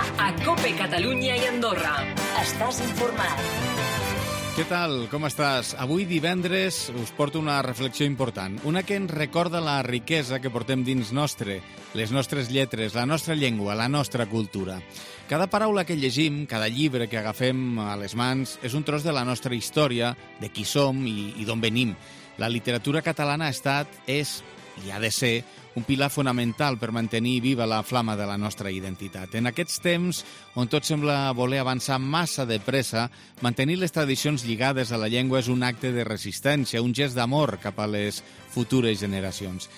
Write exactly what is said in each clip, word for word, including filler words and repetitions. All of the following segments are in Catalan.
a COPE Catalunya i Andorra. Estàs informat. Què tal? Com estàs? Avui divendres us porto una reflexió important, una que ens recorda la riquesa que portem dins nostre, les nostres lletres, la nostra llengua, la nostra cultura. Cada paraula que llegim, cada llibre que agafem a les mans, és un tros de la nostra història, de qui som i, i d'on venim. La literatura catalana ha estat, és i ha de ser un pilar fonamental per mantenir viva la flama de la nostra identitat. En aquests temps, on tot sembla voler avançar massa de pressa, mantenir les tradicions lligades a la llengua és un acte de resistència, un gest d'amor cap a les futures generacions.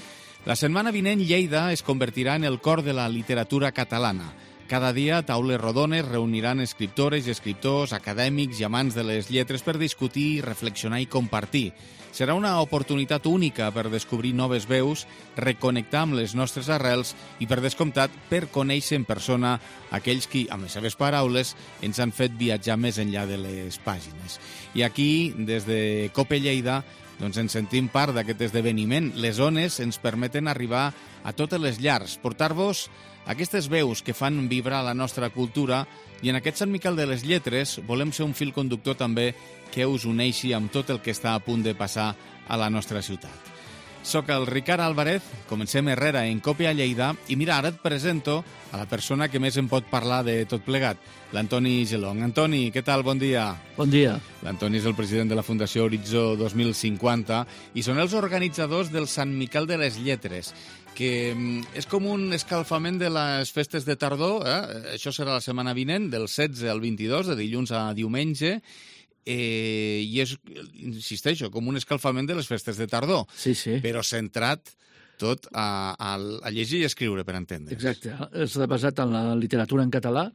La setmana vinent, Lleida es convertirà en el cor de la literatura catalana. Cada dia, taules rodones reuniran escriptores i escriptors, acadèmics i amants de les lletres per discutir, reflexionar i compartir. Serà una oportunitat única per descobrir noves veus, reconnectar amb les nostres arrels i, per descomptat, per conèixer en persona aquells qui, amb les seves paraules, ens han fet viatjar més enllà de les pàgines. I aquí, des de COPE Lleida, doncs ens sentim part d'aquest esdeveniment. Les ones ens permeten arribar a totes les llars, portar-vos aquestes veus que fan vibrar la nostra cultura, i en aquest Sant Miquel de les Lletres volem ser un fil conductor també que us uneixi amb tot el que està a punt de passar a la nostra ciutat. Soc el Ricard Álvarez, comencem Herrera en COPE a Lleida, i mira, ara et presento a la persona que més en pot parlar de tot plegat, l'Antoni Gelong. Antoni, què tal? Bon dia. Bon dia. L'Antoni és el president de la Fundació Horitzó dos mil cinquanta i són els organitzadors del Sant Miquel de les Lletres, que és com un escalfament de les festes de tardor. Eh? Això serà la setmana vinent, del setze al vint-i-dos, de dilluns a diumenge, eh, i és, insisteixo, com un escalfament de les festes de tardor, sí, sí. Però centrat tot a, a, a llegir i escriure, per entendre. Exacte. Està basat en la literatura en català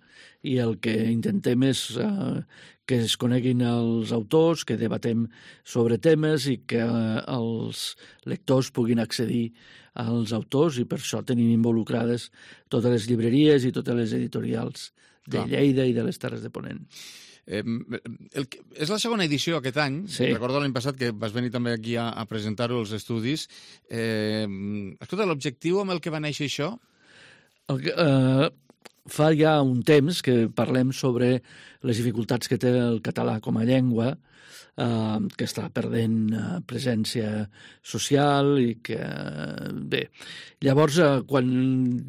i el que intentem és eh, que es coneguin els autors, que debatem sobre temes i que eh, els lectors puguin accedir als autors, i per això tenim involucrades totes les llibreries i totes les editorials de Clar. Lleida i de les Terres de Ponent. Eh, el, és la segona edició aquest any. Sí. Recordo l'any passat que vas venir també aquí a, a presentar-ho als estudis. Eh, escolta, l'objectiu amb el que va néixer això? El que, eh, fa ja un temps que parlem sobre les dificultats que té el català com a llengua, eh, que està perdent eh, presència social i que... Eh, bé, llavors, eh, quan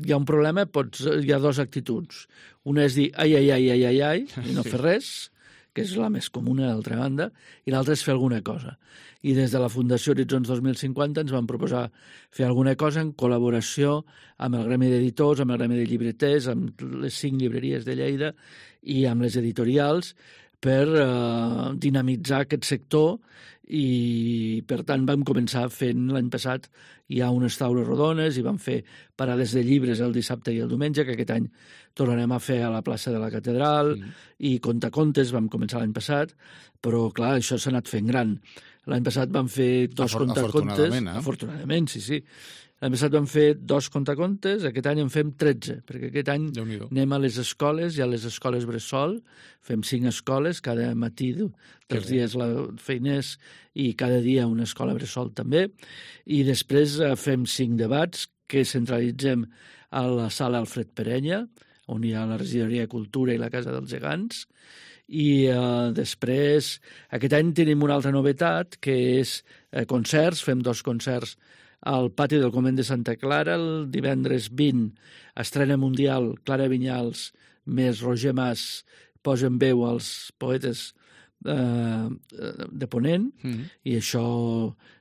hi ha un problema, pots, hi ha dues actituds. Una és dir ai, ai, ai, ai, ai, ai, i no fer res, que és la més comuna, d'altra banda, i l'altra és fer alguna cosa. I des de la Fundació Horitzons dos mil cinquanta ens vam proposar fer alguna cosa en col·laboració amb el Gremi d'Editors, amb el Gremi de Llibreters, amb les cinc llibreries de Lleida i amb les editorials, per eh, dinamitzar aquest sector, i per tant vam començar fent l'any passat ja unes taules rodones i vam fer parades de llibres el dissabte i el diumenge, que aquest any tornarem a fer a la plaça de la Catedral, mm. i contacontes vam començar l'any passat, però clar, això s'ha anat fent gran. L'any passat vam fer dos Afor contacontes. Afortunadament, eh? Afortunadament, sí, sí. L'any passat vam fer dos contacontes, aquest any en fem tretze, perquè aquest any anem a les escoles, i a les escoles bressol, fem cinc escoles, cada matí dels dies la feiners, i cada dia una escola bressol també, i després fem cinc debats que centralitzem a la sala Alfred Perenya, on hi ha la regidoria de Cultura i la Casa dels Gegants, i eh, després aquest any tenim una altra novetat, que és eh, concerts, fem dos concerts al pati del Convent de Santa Clara, el divendres vint, estrena mundial, Clara Vinyals més Roger Mas posen veu als poetes eh, de Ponent, mm. i això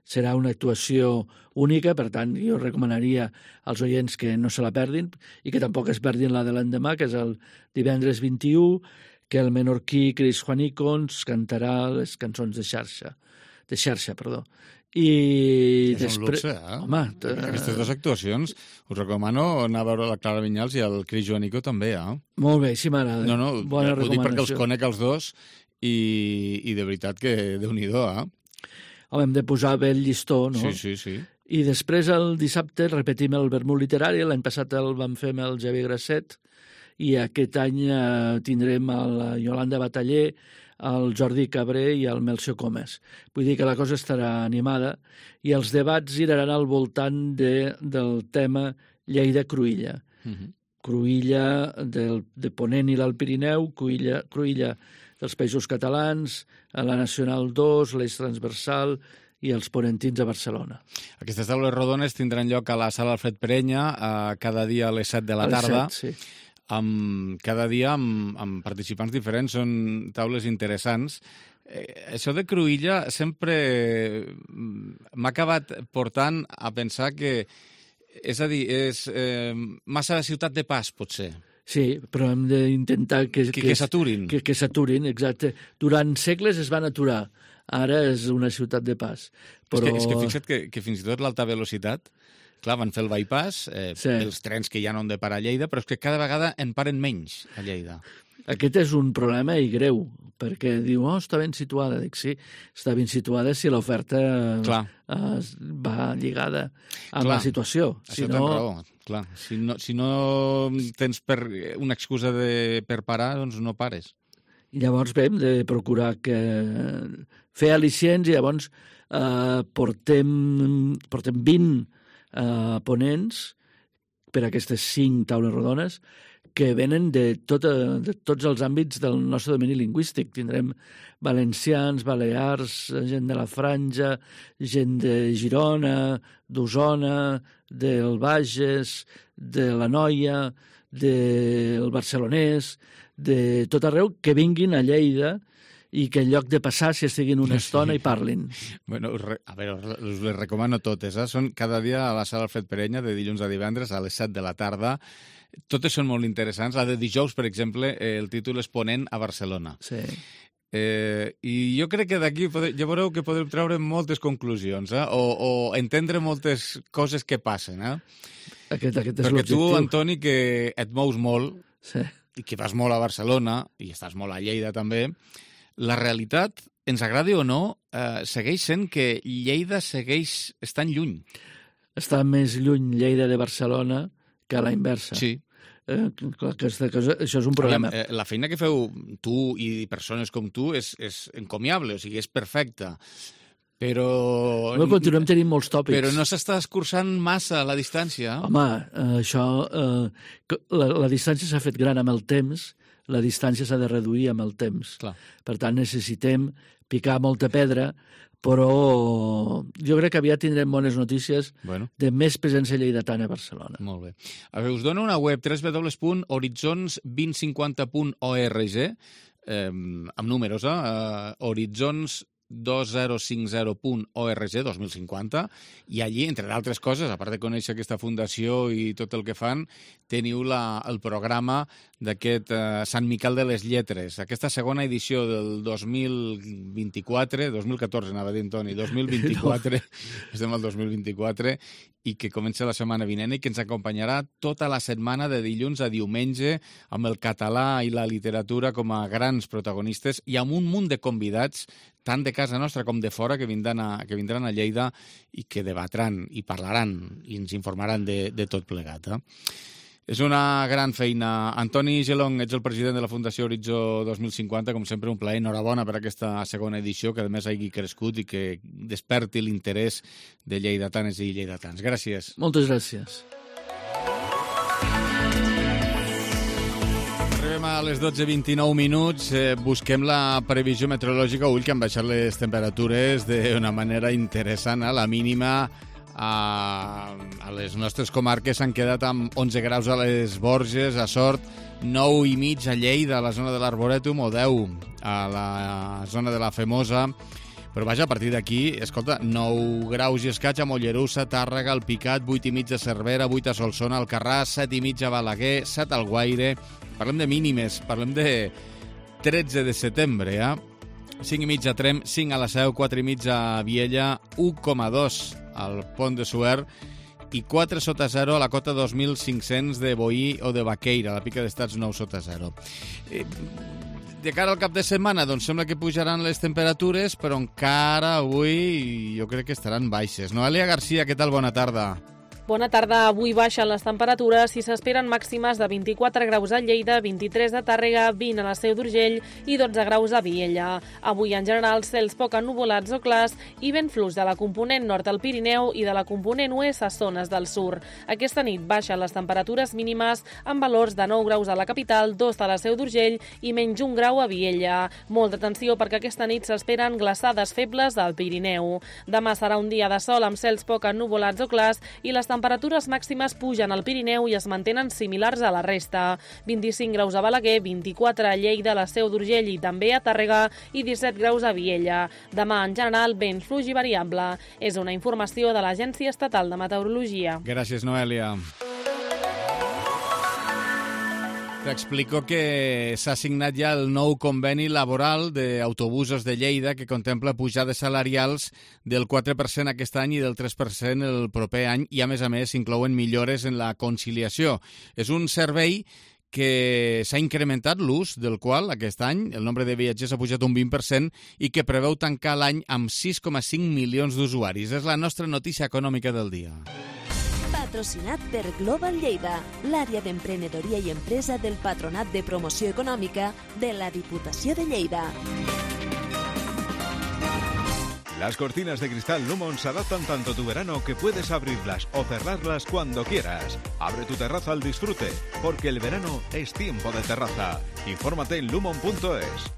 serà una actuació única, per tant, jo recomanaria als oients que no se la perdin, i que tampoc es perdin la de l'endemà, que és el divendres vint-i-u, que el menorquí Cris Juanicons cantarà les cançons de xarxa, de xarxa, perdó. I és després... un luxe, eh? Home, t... aquestes dues actuacions us recomano anar a veure la Clara Vinyals i el Cris Joanico també, eh? Molt bé, sí m'agrada. No, no, bona ho dic perquè els recomanació. conec els dos i, i de veritat que Déu-n'hi-do, eh? Home, hem de posar bé el llistó, no? Sí, sí, sí. I després el dissabte repetim el vermut literari, l'any passat el vam fer amb el Xavier Grasset, i aquest any eh, tindrem la Iolanda Bataller, el Jordi Cabré i el Melcio Comes. Vull dir que la cosa estarà animada, i els debats giraran al voltant de, del tema Lleida-Cruïlla. Uh-huh. Cruïlla del, de Ponent i l'Alt Pirineu, Cruïlla, Cruïlla dels Països Catalans, a la Nacional dos, l'Eix Transversal i els ponentins a Barcelona. Aquestes taules rodones tindran lloc a la sala Alfred Perenya eh, cada dia a les set de la tarda. A les set, sí. Amb, cada dia amb, amb participants diferents, són taules interessants. Eh, això de Cruïlla sempre m'ha acabat portant a pensar que, és a dir, és eh, massa ciutat de pas, potser. Sí, però hem d'intentar que... Que, que s'aturin. Que, que s'aturin, exacte. Durant segles es van aturar. Ara és una ciutat de pas. Però... És que, és que fixa't que, que fins i tot l'alta velocitat, clar, van fer el bypass, eh, sí. Els trens que ja no han de parar a Lleida, però és que cada vegada en paren menys a Lleida. Aquest és un problema i greu, perquè diu, oh, està ben situada. Dic, sí, està ben situada si l'oferta eh, va lligada amb clar, la situació. Això si no... no... raó, clar. Si no, si no tens per una excusa de, per parar, doncs no pares. I llavors bé, hem de procurar que fer al·licients i llavors eh, portem, portem vint eh, ponents per aquestes cinc taules rodones que venen de, tot, de tots els àmbits del nostre domini lingüístic. Tindrem valencians, balears, gent de la Franja, gent de Girona, d'Osona, del Bages, de la Noia, del Barcelonès, de tot arreu, que vinguin a Lleida i que en lloc de passar s'hi estiguin una estona i parlin. Bueno, a veure, us les recomano totes. Eh? Són cada dia a la sala Alfred Perenya, de dilluns a divendres, a les set de la tarda. Totes són molt interessants. La de dijous, per exemple, eh, el títol és Ponent a Barcelona. Sí. Eh, I jo crec que d'aquí ja veureu que podrem treure moltes conclusions, eh? o, o entendre moltes coses que passen. Eh? Aquest, aquest és Perquè l'objectiu. tu, Antoni, que et mous molt, sí. i que vas molt a Barcelona, i estàs molt a Lleida també, la realitat, ens agradi o no, eh, segueix sent que Lleida segueix estant lluny. Està més lluny Lleida de Barcelona que a la inversa. Sí. Eh, aquesta cosa, això és un problema. Aviam, eh, la feina que feu tu i persones com tu és, és encomiable, o sigui, és perfecta. Però... No, continuem tenint molts tòpics. Però no s'està escurçant massa la distància. Home, eh, això... Eh, la, la distància s'ha fet gran amb el temps, la distància s'ha de reduir amb el temps. Clar. Per tant, necessitem picar molta pedra, però jo crec que aviat tindrem bones notícies bueno. de més presència lleidatana a Barcelona. Molt bé. A veure, us dono una web, w w w punt horitzons vint cinquanta punt org, eh, amb números, eh? Uh, horitzons dos mil cinquanta punt org, dos mil cinquanta, i allí, entre d'altres coses, a part de conèixer aquesta fundació i tot el que fan, teniu la, el programa d'aquest eh, Sant Miquel de les Lletres, aquesta segona edició del dos mil vint-i-quatre, dos mil catorze anava a dir, Antoni, dos mil vint-i-quatre, estem al dos mil vint-i-quatre, i que comença la setmana vinent i que ens acompanyarà tota la setmana de dilluns a diumenge amb el català i la literatura com a grans protagonistes i amb un munt de convidats tant de casa nostra com de fora, que vindran a, que vindran a Lleida i que debatran i parlaran i ens informaran de, de tot plegat. Eh? És una gran feina. Antoni Gelong, ets el president de la Fundació Horitzó dos mil cinquanta, com sempre un plaer, enhorabona per aquesta segona edició, que a més hagi crescut i que desperti l'interès de lleidatanes i lleidatans. Gràcies. Moltes gràcies. Arribem a les dotze vint-i-nou minuts, eh, busquem la previsió meteorològica. Ull, que han baixat les temperatures d'una manera interessant. Eh? La mínima a, a les nostres comarques s'han quedat amb onze graus a les Borges, a Sort, nou i mig a Lleida, a la zona de l'Arborètum, o deu a la zona de la Femosa. Però vaja, a partir d'aquí, escolta, nou graus i escaig a Mollerussa, Tàrrega, el Picat, vuit i mig a Cervera, vuit a Solsona, Alcarràs, set i mig a Balaguer, set al Guaire. Parlem de mínimes, parlem de tretze de setembre, eh? cinc i mig a Trem, cinc a la Seu, quatre i mig a Viella, u coma dos al Pont de Suert i quatre sota zero a la cota dos mil cinc-cents de Boí o de Baqueira, a la Pica d'Estats nou sota zero. Eh, de cara al cap de setmana, doncs sembla que pujaran les temperatures, però encara avui jo crec que estaran baixes. Noelia Garcia, què tal? Bona tarda. Bona tarda. Avui baixen les temperatures i s'esperen màximes de vint-i-quatre graus a Lleida, vint-i-tres a Tàrrega, vint a la Seu d'Urgell i dotze graus a Viella. Avui, en general, cels poc ennuvolats o clars i vent fluix de la component nord al Pirineu i de la component oest a zones del sur. Aquesta nit baixen les temperatures mínimes amb valors de nou graus a la capital, dos a la Seu d'Urgell i menys un grau a Viella. Molta atenció perquè aquesta nit s'esperen glaçades febles al Pirineu. Demà serà un dia de sol amb cels poc ennuvolats o clars i les temperatures màximes pugen al Pirineu i es mantenen similars a la resta. vint-i-cinc graus a Balaguer, vint-i-quatre a Lleida, la Seu d'Urgell i també a Tàrrega i disset graus a Viella. Demà, en general, vent fluix i variable. És una informació de l'Agència Estatal de Meteorologia. Gràcies, Noelia. T'explico que s'ha signat ja el nou conveni laboral d'autobusos de Lleida que contempla pujades salarials del quatre per cent aquest any i del tres per cent el proper any i, a més a més, inclouen millores en la conciliació. És un servei que s'ha incrementat l'ús del qual aquest any el nombre de viatgers ha pujat un vint per cent i que preveu tancar l'any amb sis coma cinc milions d'usuaris. És la nostra notícia econòmica del dia. Patrocinat per Global Lleida, l'àrea d'emprenedoria i empresa del Patronat de Promoció Econòmica de la Diputació de Lleida. Las cortinas de cristal Lumon se adaptan tanto a tu verano que puedes abrirlas o cerrarlas cuando quieras. Abre tu terraza al disfrute, porque el verano es tiempo de terraza. Infórmate en lumon punto es.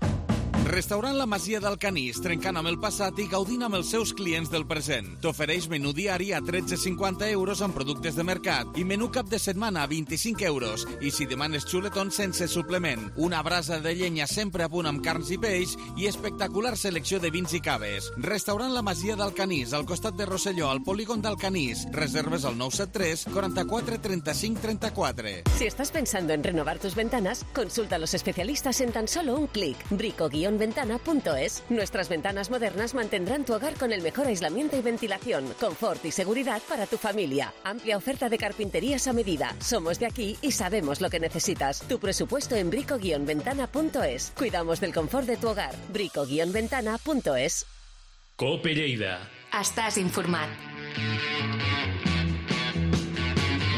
Restaurant La Masia del Canís, trencant amb el passat i gaudint amb els seus clients del present. T'ofereix menú diari a tretze coma cinquanta euros amb productes de mercat i menú cap de setmana a vint-i-cinc euros. I si demanes xuletons sense suplement, una brasa de llenya sempre a punt amb carns i peix i espectacular selecció de vins i caves. Restaurant La Masia del Canís, al costat de Rosselló, al polígon del Canís. Reserves al nou set tres, quaranta-quatre, trenta-cinc, trenta-quatre. Si estás pensando en renovar tus ventanas, consulta a los especialistas en tan solo un clic. brico guion ventana punto es. Nuestras ventanas modernas mantendrán tu hogar con el mejor aislamiento y ventilación, confort y seguridad para tu familia. Amplia oferta de carpinterías a medida. Somos de aquí y sabemos lo que necesitas. Tu presupuesto en brico guion ventana punto es. Cuidamos del confort de tu hogar. brico guion ventana punto es. Cope Lleida. Estàs informat.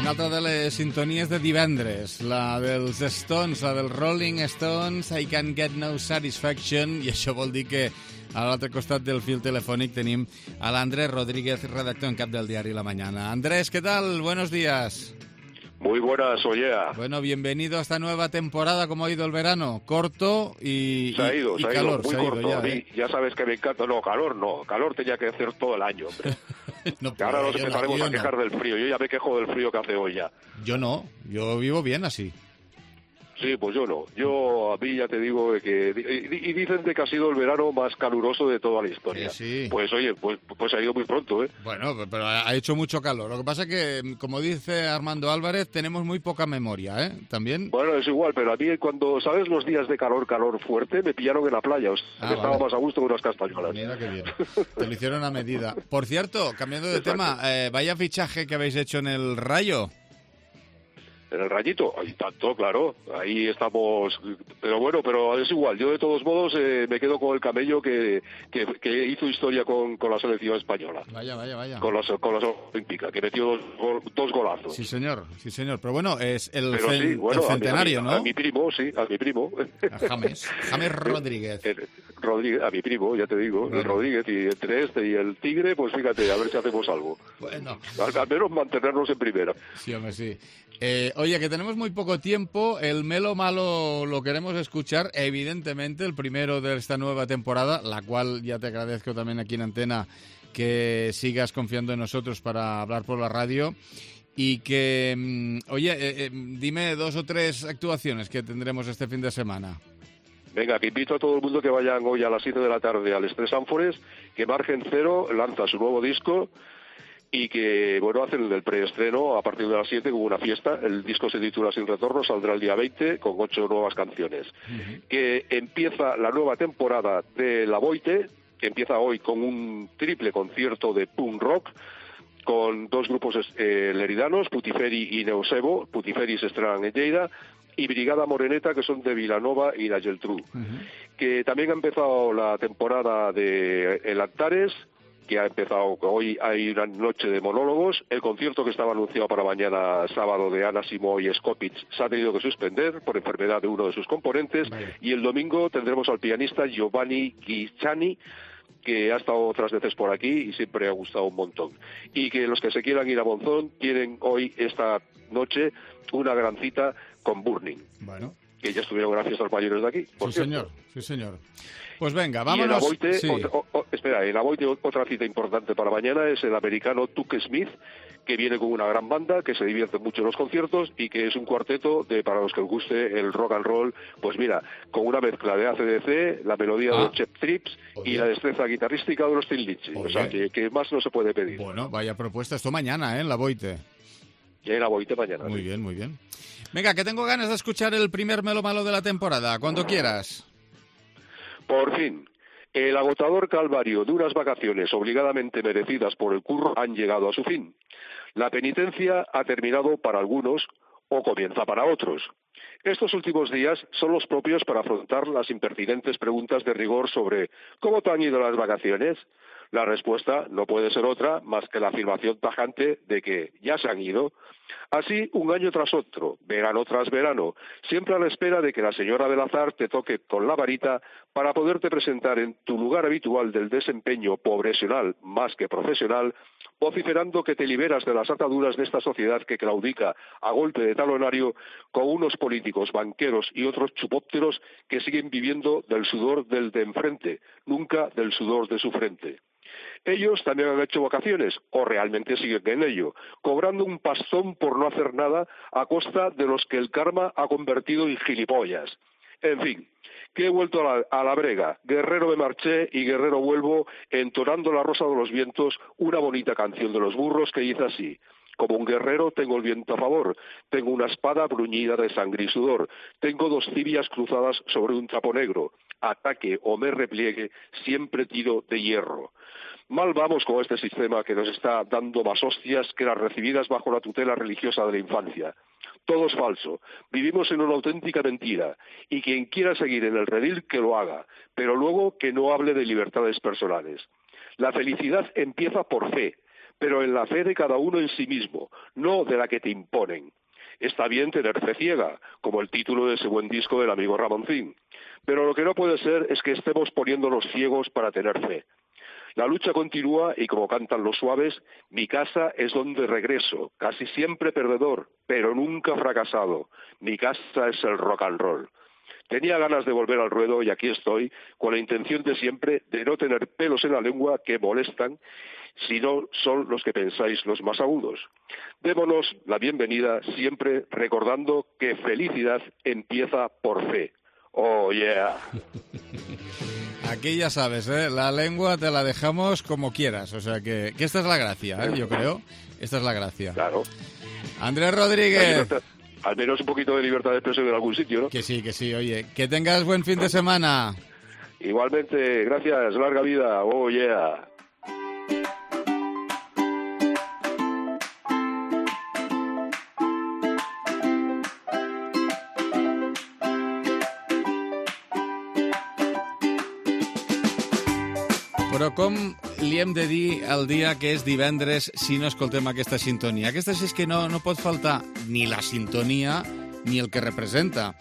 Una altra de les sintonies de divendres, la dels Stones, la dels Rolling Stones, I Can't Get No Satisfaction, i això vol dir que a l'altre costat del fil telefònic tenim a l'Andrés Rodríguez, redactor en cap del diari La Mañana. Andrés, ¿qué tal? Buenos días. Muy buenas, Ollea. Bueno, bienvenido a esta nueva temporada. ¿Cómo ha ido el verano? Corto y, se ha ido, y, se y ha calor. Ido, muy se ha corto. ido ya, a mí, ¿eh? Ya sabes que me encanta. No, calor no. Calor tenía que hacer todo el año, hombre. No, ahora nos yo empezaremos no, yo a quejar no. del frío. Yo ya me quejo del frío que hace hoy ya. Yo no. Yo vivo bien así. Sí, pues yo no. Yo, a mí ya te digo que... Y, y dicen de que ha sido el verano más caluroso de toda la historia. Sí, sí. Pues oye, pues, pues ha ido muy pronto, ¿eh? Bueno, pero ha hecho mucho calor. Lo que pasa es que, como dice Armando Álvarez, tenemos muy poca memoria, ¿eh? También... Bueno, es igual, pero a mí cuando, ¿sabes? Los días de calor, calor fuerte, me pillaron en la playa. O sea, Ah, que vale. estaba más a gusto que unas castañuelas. Mira qué bien. Te lo hicieron a medida. Por cierto, cambiando de Exacto. tema, eh, vaya fichaje que habéis hecho en el Rayo. En el Rayito, ahí tanto, claro, ahí estamos, pero bueno, pero es igual, yo de todos modos eh, me quedo con el camello que, que, que hizo historia con, con la selección española, Vaya, vaya, vaya. con las, con las olímpicas, que metió dos, gol- dos golazos. Sí, señor, sí, señor. Pero bueno, es el, Pero cen- sí, bueno, el a mi- centenario, a mi, ¿no? A mi primo, sí, a mi primo. A James. James Rodríguez. El- Rodríguez, a mi primo, ya te digo, Bueno. el Rodríguez, y entre este y el Tigre, pues fíjate, a ver si hacemos algo. Bueno, Al, al menos mantenernos en primera. sí, hombre, sí. Eh, oye, que tenemos muy poco tiempo. El Melo Malo lo queremos escuchar, evidentemente, el primero de esta nueva temporada, la cual ya te agradezco también aquí en Antena que sigas confiando en nosotros para hablar por la radio. Y que, mm, oye, eh, eh, dime dos o tres actuaciones que tendremos este fin de semana. Venga, que invito a todo el mundo que vayan hoy a las siete de la tarde al Estrés Ánfores, que Margen Cero lanza su nuevo disco y que, bueno, hacen el preestreno a partir de las siete con una fiesta. El disco se titula Sin Retorno, saldrá el día veinte con ocho nuevas canciones. Uh-huh. Que empieza la nueva temporada de La Boite, que empieza hoy con un triple concierto de punk rock, con dos grupos eh, leridanos, Putiferi y Neusebo. Putiferi se estrenan en Lleida, y Brigada Moreneta, que son de Vilanova y la Geltrú. Uh-huh. Que también ha empezado la temporada de El Antares, que ha empezado, hoy hay una noche de monólogos, el concierto que estaba anunciado para mañana sábado de Anna Simó y Skopitz se ha tenido que suspender por enfermedad de uno de sus componentes, vale. Y el domingo tendremos al pianista Giovanni Guicciani, que ha estado otras veces por aquí y siempre ha gustado un montón. Y que los que se quieran ir a Monzón tienen hoy, esta noche, una gran cita con Burning. Bueno. Que ya estuvieron en las fiestas mayores de aquí. Por sí, cierto. señor, sí, señor. Pues venga, vámonos. Y en Aboite, sí. otra, o, o, espera, en Aboite otra cita importante para mañana es el americano Tuck Smith, que viene con una gran banda, que se divierte mucho en los conciertos y que es un cuarteto de, para los que os guste el rock and roll, pues mira, con una mezcla de A C D C, la melodía ah. de los Chep Trips y la destreza guitarrística de los Thin Lizzy. O sea, que, que más no se puede pedir. Bueno, vaya propuesta. Esto mañana, ¿eh? En la Aboite. Ya en la Aboite mañana. Muy sí. bien, muy bien. Venga, que tengo ganas de escuchar el primer Melo Malo de la temporada. Cuando quieras. Por fin. El agotador calvario de unas vacaciones obligadamente merecidas por el curro han llegado a su fin. La penitencia ha terminado para algunos o comienza para otros. Estos últimos días son los propios para afrontar las impertinentes preguntas de rigor sobre ¿cómo te han ido las vacaciones? La respuesta no puede ser otra más que la afirmación tajante de que ya se han ido. Así, un año tras otro, verano tras verano, siempre a la espera de que la señora del azar te toque con la varita para poderte presentar en tu lugar habitual del desempeño pobresional más que profesional, vociferando que te liberas de las ataduras de esta sociedad que claudica a golpe de talonario con unos políticos, banqueros y otros chupópteros que siguen viviendo del sudor del de enfrente, nunca del sudor de su frente. Ellos también han hecho vacaciones, o realmente siguen en ello, cobrando un pastón por no hacer nada a costa de los que el karma ha convertido en gilipollas. En fin, que he vuelto a la, a la brega, guerrero me marché y guerrero vuelvo, entonando la rosa de los vientos, una bonita canción de los burros que dice así. Como un guerrero tengo el viento a favor, tengo una espada bruñida de sangre y sudor, tengo dos tibias cruzadas sobre un trapo negro, ataque o me repliegue, siempre tiro de hierro. Mal vamos con este sistema que nos está dando más hostias que las recibidas bajo la tutela religiosa de la infancia. Todo es falso, vivimos en una auténtica mentira, y quien quiera seguir en el redil que lo haga, pero luego que no hable de libertades personales. La felicidad empieza por fe, pero en la fe de cada uno en sí mismo, no de la que te imponen. Está bien tener fe ciega, como el título de ese buen disco del amigo Ramoncín, pero lo que no puede ser es que estemos poniéndonos ciegos para tener fe. La lucha continúa y como cantan los suaves, mi casa es donde regreso, casi siempre perdedor, pero nunca fracasado. Mi casa es el rock and roll. Tenía ganas de volver al ruedo y aquí estoy, con la intención de siempre de no tener pelos en la lengua que molestan, si no son los que pensáis los más agudos. Démonos la bienvenida siempre recordando que felicidad empieza por fe. Oh, yeah. Aquí ya sabes, ¿eh? La lengua te la dejamos como quieras, o sea que, que esta es la gracia, ¿eh? Yo creo, esta es la gracia. Claro. Andrés Rodríguez. Al menos un poquito de libertad de expresión en algún sitio, ¿no? Que sí, que sí, oye, que tengas buen fin de semana. Igualmente, gracias, larga vida, oh yeah. Però com li hem de dir el dia que és divendres si no escoltem aquesta sintonia? Aquesta és que no, no pot faltar ni la sintonia ni el que representa,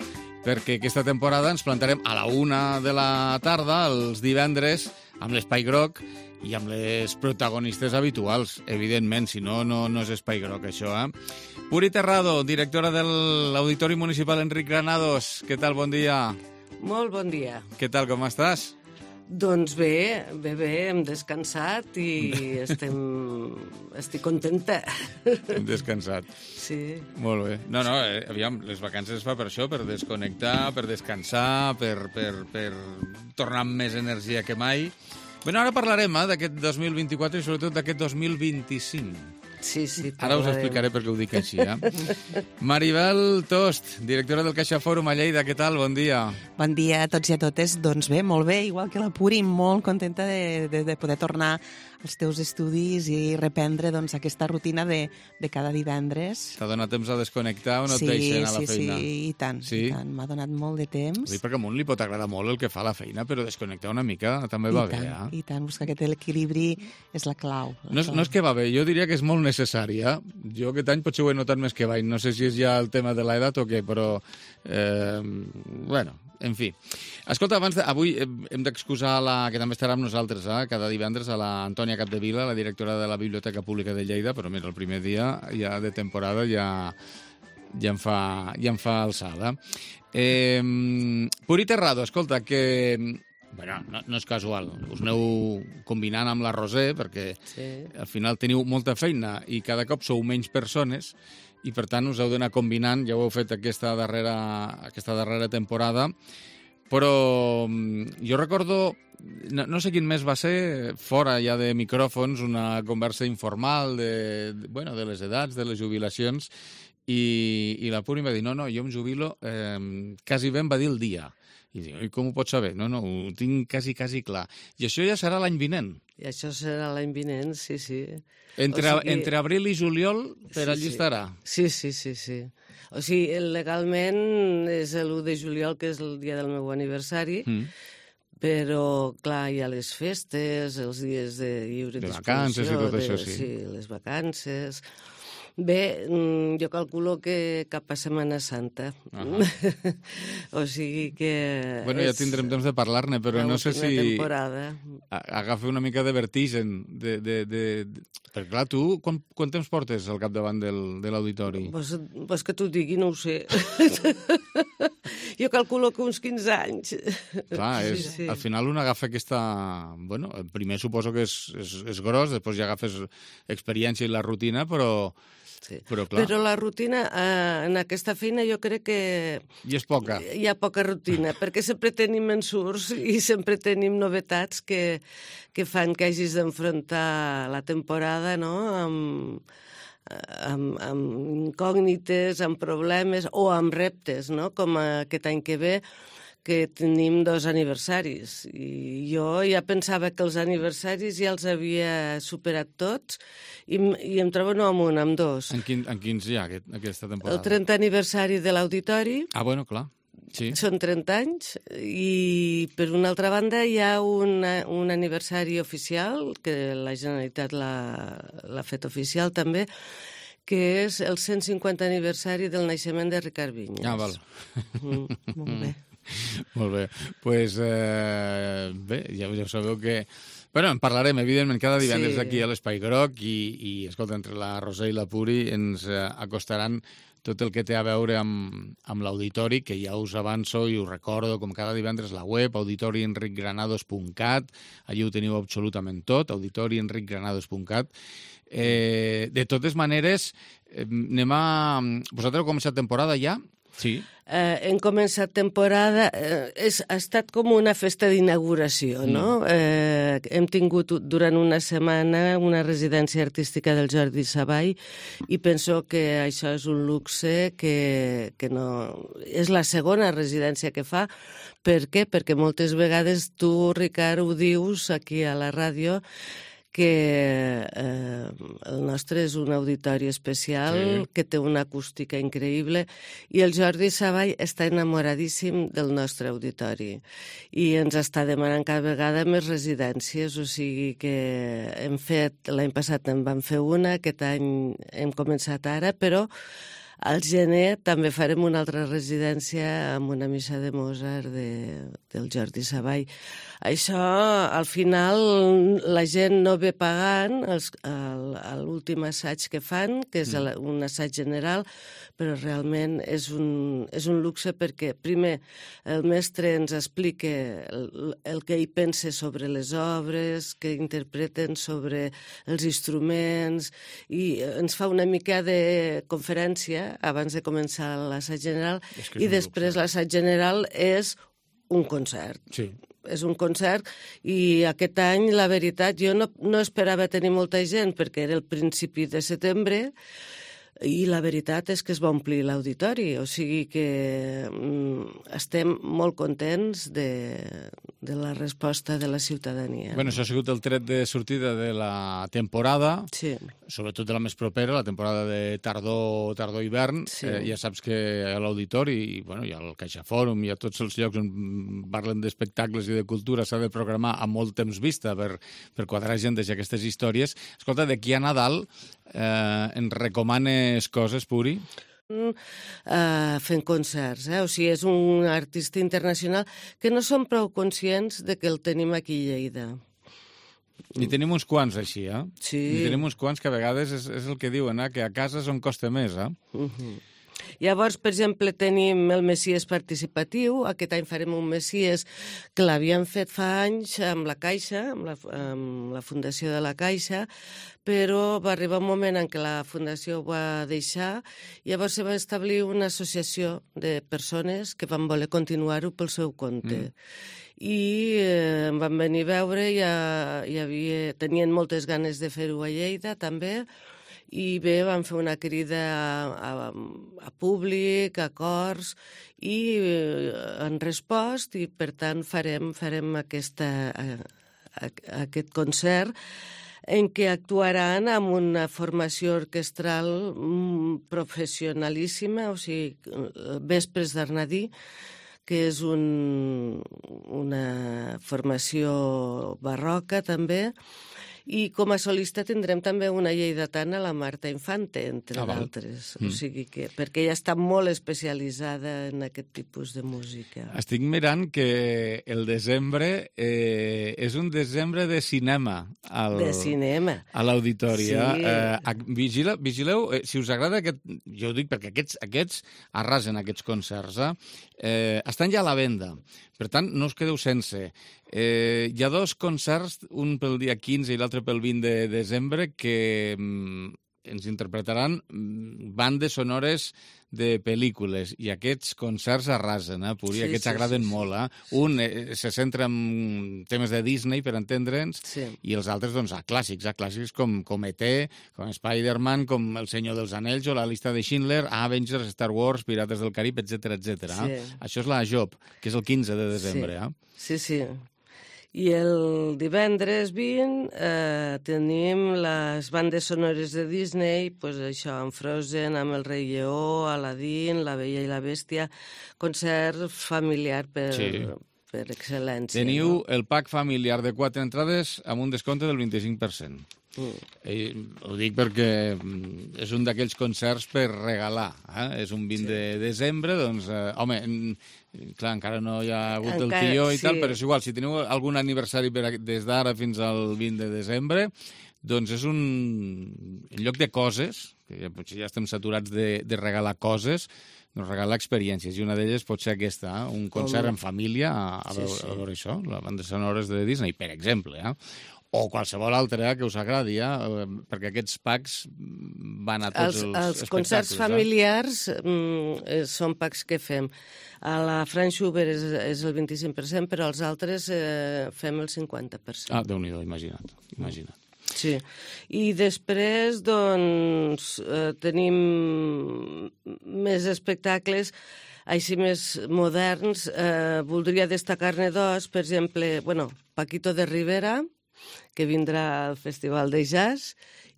perquè aquesta temporada ens plantarem a la una de la tarda, els divendres, amb l'Espai Groc i amb les protagonistes habituals, evidentment, si no, no, no és Espai Groc, això, eh? Puri Terrado, directora de l'Auditori Municipal Enric Granados, què tal, bon dia? Molt bon dia. Què tal, com estàs? Doncs bé, bé, bé, hem descansat i estem... estic contenta. Hem descansat. Sí. Molt bé. No, no, eh, aviam, les vacances es fa per això, per desconnectar, per descansar, per, per, per tornar amb més energia que mai. Bé, ara parlarem eh, d'aquest dos mil vint-i-quatre i sobretot d'aquest dos mil vint-i-cinc. Sí, sí, ara us explicaré per què ho dic així, eh? Maribel Tost, directora del Caixa Fòrum a Lleida, què tal? Bon dia. Bon dia a tots i a totes. Doncs bé, molt bé, igual que la Puri, molt contenta de, de, de poder tornar els teus estudis i reprendre doncs, aquesta rutina de, de cada divendres. T'ha donat temps a desconnectar o no sí, et deixen a la sí, feina? Sí, i tant. Sí? I tant. M'ha donat molt de temps. Sí, perquè a un li pot agradar molt el que fa la feina, però desconnectar una mica també I va tant, bé. Eh? I tant, buscar aquest equilibri és la clau. La no, és, clau. no és que va bé, jo diria que és molt necessari. Eh? Jo aquest any potser ho he notat més que mai. No sé si és ja el tema de l'edat o què, però... Eh, bueno... En fi. Escolta, abans de, avui hem d'excusar la, que també estarà amb nosaltres, eh, cada divendres, a la Antònia Capdevila, la directora de la Biblioteca Pública de Lleida, però mira, el primer dia ja de temporada ja, ja, em, fa, ja em fa alçada. Eh, Puri Terrado, escolta, que... Bueno, no, no és casual, us aneu combinant amb la Roser, perquè sí. Al final teniu molta feina i cada cop sou menys persones, i per tant us heu d'anar combinant, ja ho heu fet aquesta darrera, aquesta darrera temporada, però jo recordo, no, no sé quin mes va ser, fora ja de micròfons, una conversa informal de, de, bueno, de les edats, de les jubilacions, i, i la Puri em va dir, no, no, jo em jubilo, eh, quasi bé em va dir el dia. I dic, i com ho pots saber? No, no, ho tinc quasi, quasi clar. I això ja serà l'any vinent. I això serà l'any vinent, sí, sí. Entre, o sigui, entre abril i juliol, per sí, allí sí. estarà. Sí, sí, sí, sí. O sigui, legalment és l'u de juliol, que és el dia del meu aniversari, mm. però, clar, hi ha les festes, els dies de lliure de disposició. De vacances i tot de, això, sí. Sí, les vacances... Bé, jo calculo que cap a Setmana Santa. Uh-huh. O sigui que... Bueno, ja tindrem temps de parlar-ne, però no sé si... temporada. Agafa una mica de vertigen. De, de, de... Perquè, clar, tu quant, quant temps portes al capdavant del, de l'auditori? Pues, pues que t'ho digui, no ho sé. Jo calculo que uns quinze anys. Clar, és, sí, sí. Al final un agafa aquesta... Bueno, primer suposo que és, és, és gros, després ja agafes experiència i la rutina, però... Sí. Però, clar. Però la rutina, eh, en aquesta feina jo crec que... I és poca. Hi ha poca rutina, perquè sempre tenim ensurts i sempre tenim novetats que, que fan que hagis d'enfrontar la temporada, no?, amb, amb, amb incògnites, amb problemes o amb reptes, no?, com aquest any que ve, que tenim dos aniversaris. I jo ja pensava que els aniversaris ja els havia superat tots i, i em trobo no amb un, amb dos. En, quin, en quins hi ha aquest, aquesta temporada? El trentè aniversari de l'Auditori. Ah, bueno, clar. Sí. Són trenta anys i, per una altra banda, hi ha una, un aniversari oficial, que la Generalitat l'ha fet oficial també, que és el cent cinquanta aniversari del naixement de Ricard Vinyes. Ah, val. Mm, molt bé. Molt bé. Doncs, pues, eh, bé, ja, ja sabeu que... Bueno, en parlarem, evidentment, cada divendres sí. Aquí a l'Espai Groc i, i, escolta, entre la Roser i la Puri ens eh, acostaran tot el que té a veure amb, amb l'auditori, que ja us avanço i us recordo, com cada divendres, la web, auditori enric granados punt cat, allí ho teniu absolutament tot, auditori enric granados punt cat. Eh, de totes maneres, eh, anem a... Vosaltres heu començat temporada ja? Sí. Eh, hem començat temporada, eh, és, ha estat com una festa d'inauguració, no? Mm. Eh, hem tingut durant una setmana una residència artística del Jordi Savall i penso que això és un luxe que, que no... És la segona residència que fa. Per què? Perquè moltes vegades tu, Ricard, ho dius aquí a la ràdio, que eh, el nostre és un auditori especial, sí. Que té una acústica increïble, i el Jordi Savall està enamoradíssim del nostre auditori i ens està demanant cada vegada més residències, o sigui que hem fet, l'any passat en vam fer una, aquest any hem començat ara, però al gener també farem una altra residència amb una missa de Mozart de, del Jordi Savall. Això, al final, la gent no ve pagant els, el, l'últim assaig que fan, que és el, un assaig general, però realment és un, és un luxe perquè, primer, el mestre ens explica el, el que ell pensa sobre les obres, que interpreten sobre els instruments, i ens fa una mica de conferència abans de començar l'assaig general, i després l'assaig general és un concert. Sí. És un concert, i aquest any, la veritat, jo no, no esperava tenir molta gent, perquè era el principi de setembre, i la veritat és que es va omplir l'auditori, o sigui que mm, estem molt contents de, de la resposta de la ciutadania. Bueno, això ha sigut el tret de sortida de la temporada, sí. Sobretot de la més propera, la temporada de tardor, tardor-hivern. Sí. Eh, ja saps que a l'auditori, i bueno, hi ha el CaixaFòrum, hi ha tots els llocs on parlen d'espectacles i de cultura, s'ha de programar a molt temps vista per, per quadrar gent d'aquestes històries. Escolta, d'aquí a Nadal eh, ens recomanes coses, Puri? Uh, fent concerts, eh? O sigui, és un artista internacional que no som prou conscients de que el tenim aquí a Lleida. I tenim uns quants així, eh? Sí. I tenim uns quants que a vegades és, és el que diuen, eh? Que a casa és on costa més, eh? Uh-huh. Llavors, per exemple, tenim el Messies participatiu. Aquest any farem un Messies que l'havíem fet fa anys amb la Caixa, amb la, amb la Fundació de la Caixa, però va arribar un moment en què la Fundació ho va deixar i llavors se va establir una associació de persones que van voler continuar-ho pel seu compte. Mm. I eh, em van venir a veure, i hi havia, tenien moltes ganes de fer-ho a Lleida també, i bé, vam fer una crida a, a, a públic, a cors, i eh, han respost, i per tant farem, farem aquesta, a, a, aquest concert en què actuaran amb una formació orquestral professionalíssima, o sigui, Vespres d'Arnadí, que és un, una formació barroca també, i com a solista tindrem també una lleidatana, la Marta Infante, entre ah, d'altres. Mm. O sigui que, perquè ella està molt especialitzada en aquest tipus de música. Estic mirant que el desembre eh, és un desembre de cinema. Al, de cinema. A l'auditori. Sí. Eh, vigila, vigileu, eh, si us agrada aquest... Jo ho dic perquè aquests, aquests arrasen aquests concerts. Eh? Eh, estan ja a la venda. Per tant, no us quedeu sense. Eh, hi ha dos concerts, un pel dia quinze i l'altre pel vint de desembre, que mm, ens interpretaran bandes sonores de pel·lícules, i aquests concerts arrasen, eh, Puri? Sí, aquests sí, agraden sí, molt. Eh? Sí. Un eh, se centra en temes de Disney, per entendre'ns, sí. I els altres, doncs, a clàssics, a clàssics com, com E T, com Spider-Man, com El Senyor dels Anells, o La Llista de Schindler, Avengers, Star Wars, Pirates del Carib, etcètera, etcètera. Sí. Eh? Això és la Job, que és el quinze de desembre. Sí, eh? sí. sí. I el divendres vint eh, tenim les bandes sonores de Disney, pues això, amb Frozen, amb El Rei Lleó, Aladdin, La Bella i la Bèstia, concert familiar per, sí. per excel·lència. Teniu no? El pack familiar de quatre entrades amb un descompte del vint-i-cinc per cent. Mm. Eh, ho dic perquè és un d'aquells concerts per regalar. Eh? És un vint sí. de desembre, doncs, eh, home, clar, encara no hi ha hagut encara, el tió i sí. tal, però és igual, si teniu algun aniversari per, des d'ara fins al vint de desembre, doncs és un en lloc de coses, que ja, potser ja estem saturats de, de regalar coses, doncs regalar experiències, i una d'elles pot ser aquesta, eh? Un concert oh. en família a, a, sí, veure, sí. a veure això, les bandes sonores de Disney, per exemple, eh? O qualsevol altre eh, que us agradi, eh? Perquè aquests packs van a tots els, els, els espectacles. Els concerts eh? familiars mm, són packs que fem. A la Frank Schubert és, és el vint-i-cinc per cent, però els altres eh, fem el cinquanta per cent. Ah, Déu-n'hi-do, imagina't, imagina't. Sí, i després, doncs, eh, tenim més espectacles així més moderns. Eh, voldria destacar-ne dos, per exemple, bueno, Paquito de Rivera, que vindrà al Festival de Jazz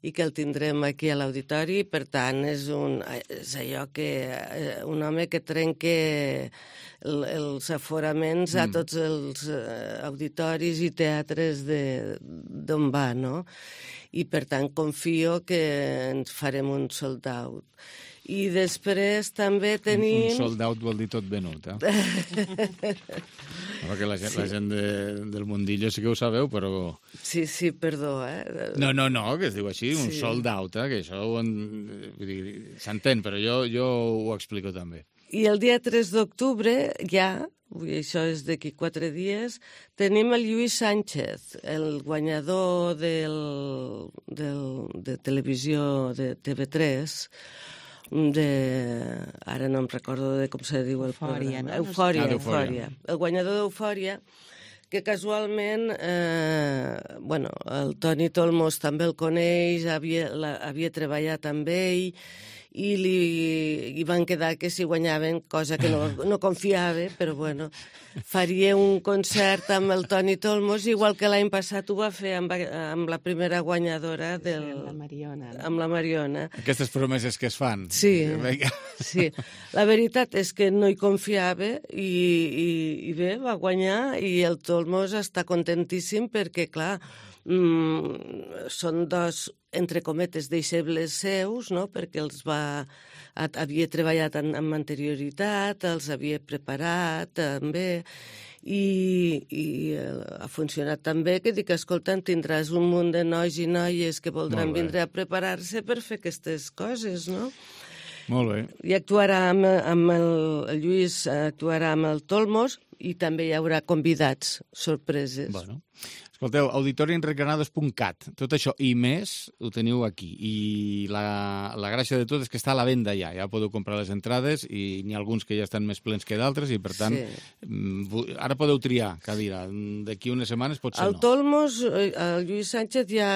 i que el tindrem aquí a l'auditori. Per tant, és, un, és allò que un home que trenca el, els aforaments mm. a tots els auditoris i teatres d'on va, no? I per tant confio que ens farem un sold out. I després també tenim... Un sold out vol dir tot venut, eh? Perquè la gent, sí. la gent de, del mundillo sí que ho sabeu, però... Sí, sí, perdó, eh? No, no, no, que es diu així, un sí. sold out, eh? Que això s'entén, però jo, jo ho explico també. I el dia tres d'octubre, ja, això és d'aquí quatre dies, tenim el Lluís Sánchez, el guanyador del, del, de televisió de T V tres, de... ara no em recordo de com se diu el Eufòria, programa. No? Eufòria, ah, Eufòria. El guanyador d'Eufòria, que casualment, eh, bueno, el Toni Tolmos també el coneix, havia, la, havia treballat amb ell, i li i van quedar que si guanyaven, cosa que no, no confiava, però bueno, faria un concert amb el Toni Tolmos, igual que l'any passat ho va fer amb, amb la primera guanyadora del... Sí, la Mariona. No? Amb la Mariona. Aquestes promeses que es fan. Sí, sí. La veritat és que no hi confiava i, i, i bé, va guanyar i el Tolmos està contentíssim perquè, clar, mm, són dos, entre cometes, deixebles seus, no?, perquè els va... havia treballat en, amb anterioritat, els havia preparat també, i, i ha funcionat tan bé que dic, escolta, tindràs un munt de nois i noies que voldran vindre a preparar-se per fer aquestes coses, no? Molt bé. I actuarà amb, amb el, el Lluís, actuarà amb el Tolmos i també hi haurà convidats, sorpreses. Bueno. Escolteu, auditori enric granados punt cat. Tot això i més ho teniu aquí. I la, la gràcia de tot és que està a la venda ja. Ja podeu comprar les entrades i n'hi ha alguns que ja estan més plens que d'altres i, per tant, sí. Ara podeu triar cadira. D'aquí unes setmanes potser el no. El Tolmos, el Lluís Sánchez ja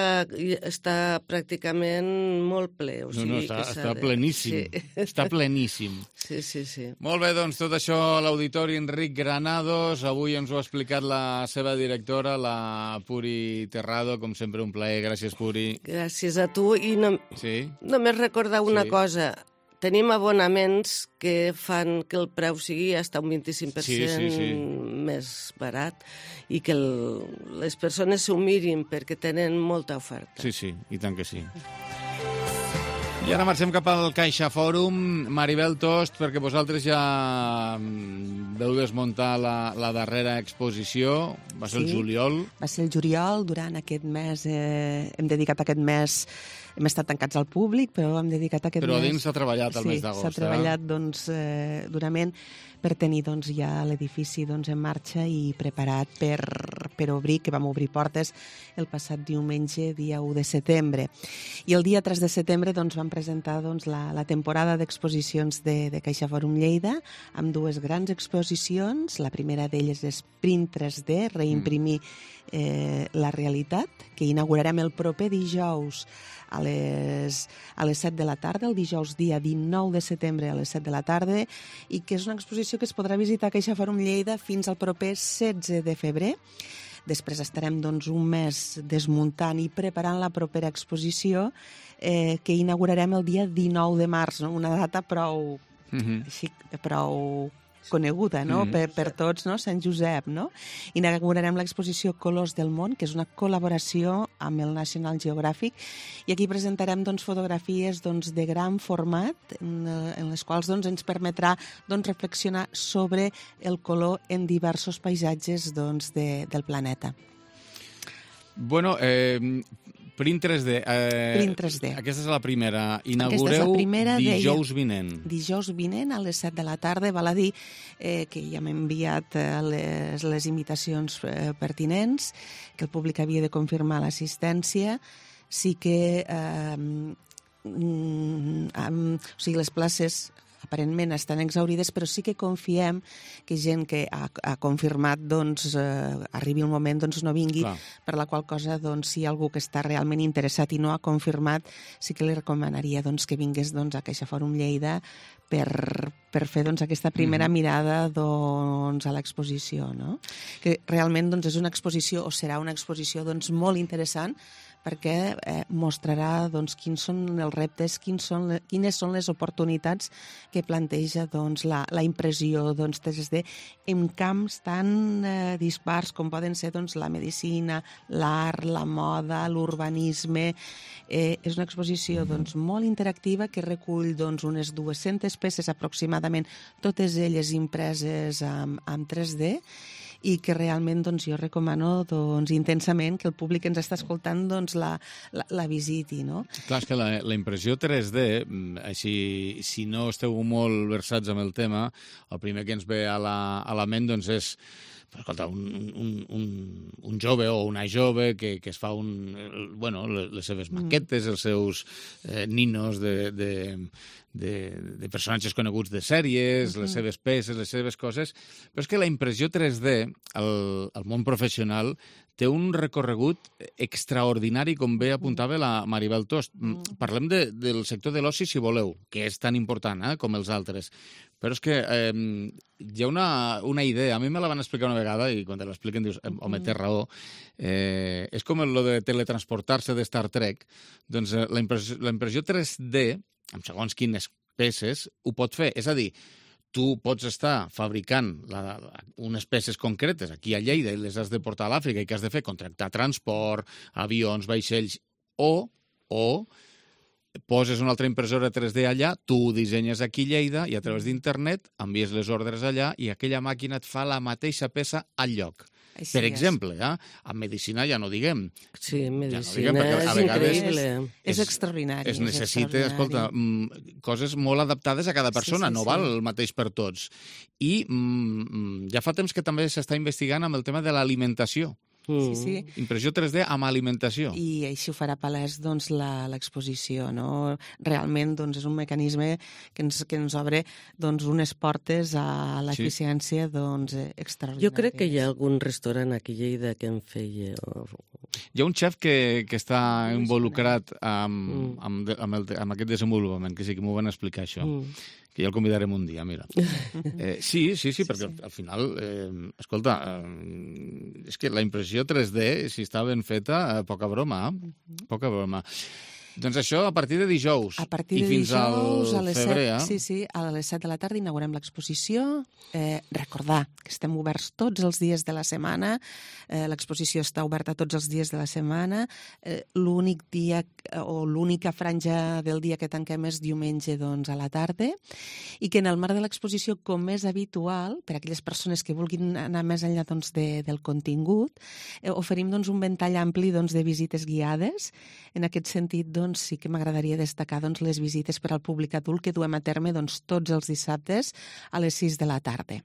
està pràcticament molt ple. O sigui no, no, està, que està pleníssim. Sí. Està pleníssim. Sí, sí, sí. Molt bé, doncs tot això a l'auditori Enric Granados. Avui ens ho ha explicat la seva directora, la Puri Terrado, com sempre un plaer. Gràcies, Puri. Gràcies a tu. I no, sí? només recordar una sí. cosa. Tenim abonaments que fan que el preu sigui hasta un vint-i-cinc per cent sí, sí, sí. més barat i que el, les persones s'ho mirin perquè tenen molta oferta. Sí, sí, i tant que sí. I ara marxem cap al Caixa Fòrum. Maribel Tost, perquè vosaltres ja veu desmuntar la, la darrera exposició. Va ser sí, el juliol. Va ser el juliol. Durant aquest mes, eh, hem dedicat aquest mes... Hem estat tancats al públic, però hem dedicat aquest però mes... Però a dins s'ha treballat el sí, mes d'agost. Sí, s'ha treballat eh? doncs, eh, durament per tenir doncs, ja l'edifici doncs, en marxa i preparat per, per obrir, que vam obrir portes el passat diumenge, dia u de setembre. I el dia tres de setembre doncs, vam presentar doncs, la, la temporada d'exposicions de, de Caixa Fòrum Lleida, amb dues grans exposicions. La primera d'elles és Print tres D, reimprimir eh, la realitat, que inaugurarem el proper dijous a les, a les set de la tarda, el dijous dia dinou de setembre a les set de la tarda, i que és una exposició que es podrà visitar a Caixa Fòrum Lleida fins al proper setze de febrer. Després estarem doncs, un mes desmuntant i preparant la propera exposició eh, que inaugurarem el dia dinou de març, no? Una data prou, mm-hmm. així, prou coneguda, no? Mm. Per, per tots, no? Sant Josep, no? Inaugurarem l'exposició Colors del món, que és una col·laboració amb el National Geographic, i aquí presentarem doncs, fotografies doncs, de gran format, en, en les quals doncs, ens permetrà doncs, reflexionar sobre el color en diversos paisatges doncs, de, del planeta. Bueno, eh, Print tres D. Eh, Print tres D. Aquesta és la primera. Inaugureu la primera dijous vinent. Dijous vinent a les set de la tarda. Val a dir eh, que ja m'he enviat eh, les, les invitacions eh, pertinents, que el públic havia de confirmar l'assistència. Sí que eh, mm, um, o sigui, les places aparentment estan exaurides, però sí que confiem que gent que ha, ha confirmat doncs, eh, arribi un moment doncs, no vingui, clar. Per la qual cosa doncs, si hi ha algú que està realment interessat i no ha confirmat, sí que li recomanaria doncs, que vingués doncs, a Caixa Fòrum Lleida per, per fer doncs, aquesta primera mm-hmm. mirada doncs, a l'exposició. No? Que realment doncs, és una exposició, o serà una exposició doncs, molt interessant, perquè eh, mostrarà doncs, quins són els reptes, quins són le, quines són les oportunitats que planteja doncs, la, la impressió doncs, tres D en camps tan eh, dispars com poden ser doncs, la medicina, l'art, la moda, l'urbanisme. Eh, és una exposició doncs, molt interactiva que recull doncs, unes dues-centes peces aproximadament, totes elles impreses amb, amb tres D, i que realment doncs, jo recomano doncs, intensament que el públic que ens està escoltant doncs, la, la, la visiti. No? Clar, és que la, la impressió tres D, així, si no esteu molt versats amb el tema, el primer que ens ve a la, a la ment doncs, és escolta, un, un, un, un jove o una jove que, que es fa un, bueno, les seves maquetes, els seus eh, ninos de, de, de, de personatges coneguts de sèries, les seves peces, les seves coses, però és que la impressió tres D al, al món professional té un recorregut extraordinari, com bé apuntava la Maribel Tost. Parlem de, del sector de l'oci, si voleu, que és tan important eh, com els altres. Però és que eh, hi ha una, una idea, a mi me la van explicar una vegada, i quan te l'expliquen dius, home, té raó, eh, és com el de teletransportar-se de Star Trek, doncs eh, la, impressió, la impressió tres D, amb segons quines peces, ho pot fer. És a dir, tu pots estar fabricant la, unes peces concretes aquí a Lleida i les has de portar a l'Àfrica i què has de fer? Contractar transport, avions, vaixells, o, o poses una altra impressora tres D allà, tu ho dissenyes aquí a Lleida i a través d'internet envies les ordres allà i aquella màquina et fa la mateixa peça al lloc. Així per exemple, eh? En medicina ja no diguem. Sí, en medicina ja no diguem, és increïble. És, és extraordinari. Es necessita, escolta, coses molt adaptades a cada persona, sí, sí, no val sí. el mateix per tots. I mm, ja fa temps que també s'està investigant amb el tema de l'alimentació. Sí, sí. Impressió tres D amb alimentació. I així ho farà palès doncs, l'exposició. No? Realment doncs, és un mecanisme que ens, que ens obre doncs, unes portes a l'eficiència sí. doncs, extraordinària. Jo crec que hi ha algun restaurant aquí a Lleida que en feia... Hi ha un xef que, que està involucrat amb, mm. amb, amb, el, amb aquest desenvolupament, que sí que m'ho van explicar això. Mm. Que ja el convidarem un dia, mira. Eh, sí, sí, sí, perquè sí, sí. al final, eh, escolta, eh, és que la impressió tres D, si està ben feta, eh, poca broma, eh? poca broma. Doncs això a partir de dijous. A partir de I fins dijous, al a les febrer, set, eh? sí, sí, a les set de la tarda inaugurem l'exposició. Eh, recordar que estem oberts tots els dies de la setmana. Eh, l'exposició està oberta tots els dies de la setmana. Eh, l'únic dia o l'única franja del dia que tanquem és diumenge doncs, a la tarda. I que en el marc de l'exposició, com és habitual, per a aquelles persones que vulguin anar més enllà doncs, de, del contingut, eh, oferim doncs, un ventall ampli doncs, de visites guiades. En aquest sentit, doncs, sí que m'agradaria destacar doncs, les visites per al públic adult que duem a terme doncs, tots els dissabtes a les sis de la tarda.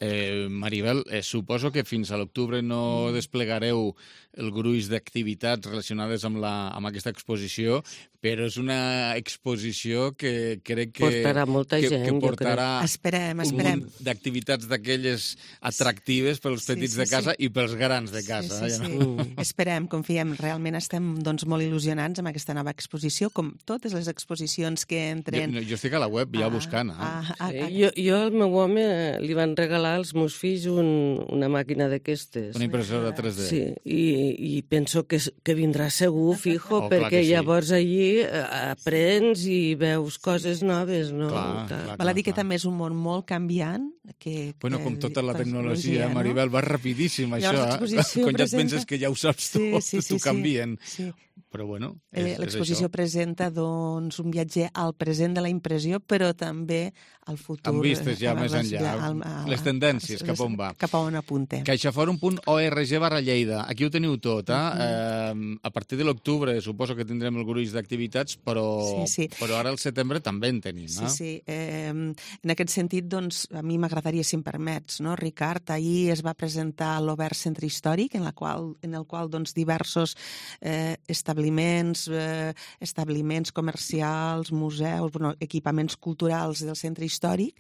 Eh, Maribel, eh, suposo que fins a l'octubre no desplegareu el gruix d'activitats relacionades amb, la, amb aquesta exposició, però és una exposició que crec que portarà molta que, gent, que portarà esperem, esperem. un munt d'activitats d'aquelles atractives pels petits sí, sí, de casa sí. i pels grans de casa. Sí, sí, ja sí. no? Mm. Esperem, confiem. Realment estem doncs, molt il·lusionats amb aquesta nova exposició, com totes les exposicions que entren... Jo, jo estic a la web ja ah, buscant. Eh? Ah, ah, ah. Jo, jo al meu home li van regalar als meus fills un, una màquina d'aquestes. Una impressora tres D. Sí, i, i penso que, que vindrà segur, fijo, oh, perquè sí. llavors allí aprens i veus coses noves, no? Clar, clar, Val a dir clar. que també és un món molt canviant. Que, que bueno, com tota la tecnologia, no? Maribel, va rapidíssim, llavors, això. Eh? Quan ja et penses que ja ho saps sí, tot, sí, sí, t'ho canvien. Sí. Però bueno, és, eh, l'exposició presenta doncs, un viatge al present de la impressió, però també al futur. Amb vistes ja més enllà, al, al, les tendències, cap on va. Cap a on apuntem. caixaforum punt org barra Lleida. Aquí ho teniu tot, eh? Uh-huh. eh a partir de l'octubre suposo que tindrem el gruix d'activitats, però, sí, sí. però ara al setembre també en tenim. Sí, eh? sí. Eh, en aquest sentit, doncs, a mi m'agradaria, si em permets, no, Ricard, ahir es va presentar l'Obert Centre Històric, en, la qual, en el qual doncs, diversos eh, establiments, eh, establiments comercials, museus, bueno, equipaments culturals del centre històric,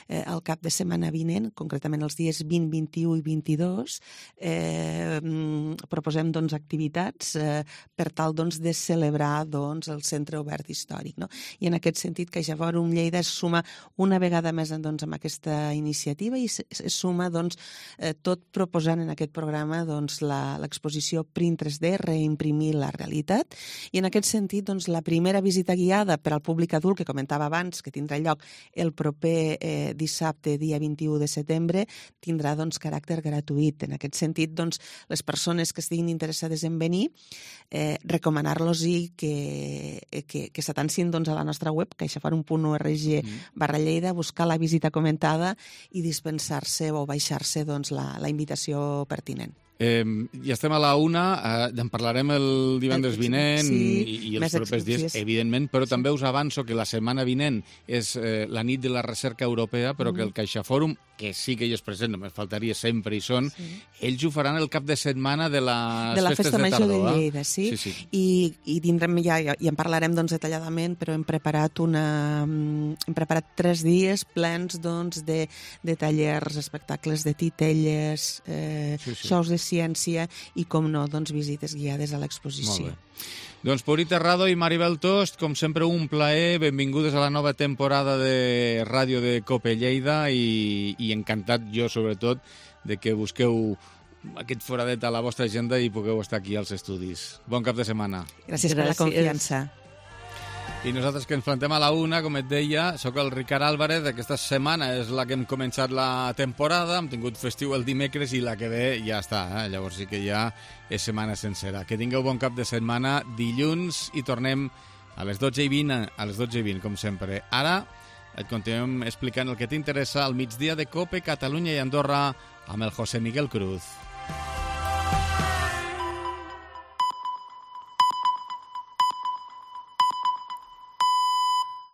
eh, al cap de setmana vinent, concretament els dies vint, vint-i-u i vint-i-dos, eh, proposem doncs, activitats eh, per tal doncs, de celebrar doncs, el Centre Obert Històric. No? I en aquest sentit, CaixaForum Lleida es suma una vegada més doncs, amb aquesta iniciativa i es, es suma doncs, eh, tot proposant en aquest programa doncs, l'exposició Print tres D, reimprimir la realitat. I en aquest sentit, doncs, la primera visita guiada per al públic adult, que comentava abans, que tindrà lloc el proper eh, dissabte, dia vint-i-u de setembre, tindrà doncs, caràcter gratuït. En aquest sentit, doncs, les persones que estiguin interessades en venir, eh, recomanar-los i que, que, que s'atancin doncs, a la nostra web, caixaforum punt org barra Lleida, buscar la visita comentada i dispensar-se o baixar-se doncs, la, la invitació pertinent. Eh, ja estem a la una, eh, en parlarem el divendres vinent sí, i, i els propers dies, evidentment, però sí. també us avanço que la setmana vinent és eh, la nit de la recerca europea, però mm. que el CaixaFòrum, que sí que hi és present, només faltaria sempre hi són, sí. ells ho faran el cap de setmana de les de la festes Festa de Major tardor. de Lleida, sí, sí, sí. I, i tindrem, ja, ja, ja en parlarem doncs, detalladament, però hem preparat una hem preparat tres dies plens doncs, de, de tallers, espectacles de titelles, eh, sí, sí. shows de ciència i, com no, doncs, visites guiades a l'exposició. Doncs Puri Terrado i Maribel Tost, com sempre un plaer, benvingudes a la nova temporada de Ràdio de Cope Lleida i, i encantat jo, sobretot, de que busqueu aquest foradet a la vostra agenda i pugueu estar aquí als estudis. Bon cap de setmana. Gràcies, Gràcies. per la confiança. I nosaltres que ens plantem a la una, com et deia, sóc el Ricard Álvarez. Aquesta setmana és la que hem començat la temporada, hem tingut festiu el dimecres i la que ve ja està, eh? Llavors sí que ja és setmana sencera. Que tingueu bon cap de setmana, dilluns, i tornem a les dotze i vint, a les dotze i vint, com sempre. Ara et continuem explicant el que t'interessa al migdia de Cope, Catalunya i Andorra amb el José Miguel Cruz.